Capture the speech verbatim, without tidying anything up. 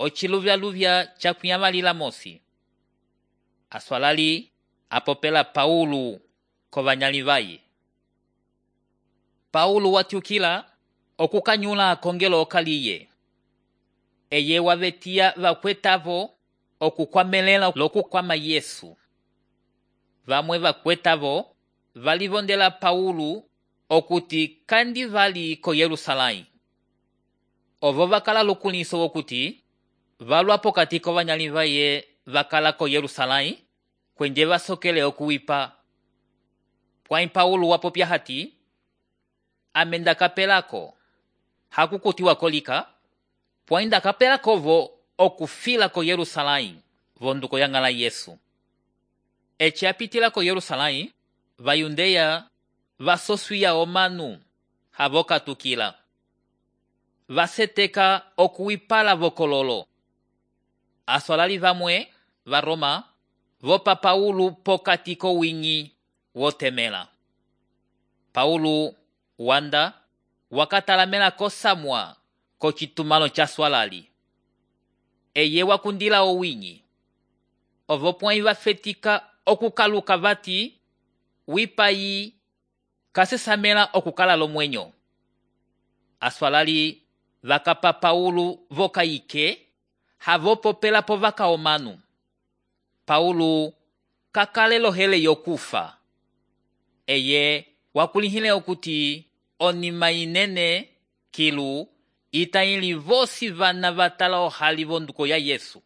ociluvyaluvya cakuyamalila mosi. Aswalali apopela Paulo kovanyali vaye. Paulo watyukila okukanyula kongelo okaliye. Eye wavetia vakwetavo okukwamelela lokukwama Yesu. Vamwe vakwetavo valivondela Paulo okuti kandi vali ko Yerusalém. Ovo vakala lukuliso wokuti valwa pokati kovanyali vaye vakala ko Yerusalém kwenje vasokele okuwipa. Pwai Paulo wapopya hati, amenda kapelako hakukutiwa kolika, pwai ndakapelakovo okufila ko Yerusalém vonduko yang'ala Yesu. Eci apitila ko Yerusalém, vayundeya vasoswiya omanu havokatukila. Vaseteka okuwipala vokololo. Aswalali vamwe va Roma vopa Paulo pokati kowinyi wotemela. Paulo wanda wakatalamela kosamwa kocitumalo ca swalali. Eye wakundila owinyi. Ovo pwai vafetika okukaluka vati wipayi kasesamela okukala lomwenyo. Aswalali vakapa Paulo vokayike havopopela po vaka omanu. Paulo kakalelo hele yokufa. Eye wakulihile okuti onima inene kilu itayili vosi vana vatala ohali vonduko ya Yesu.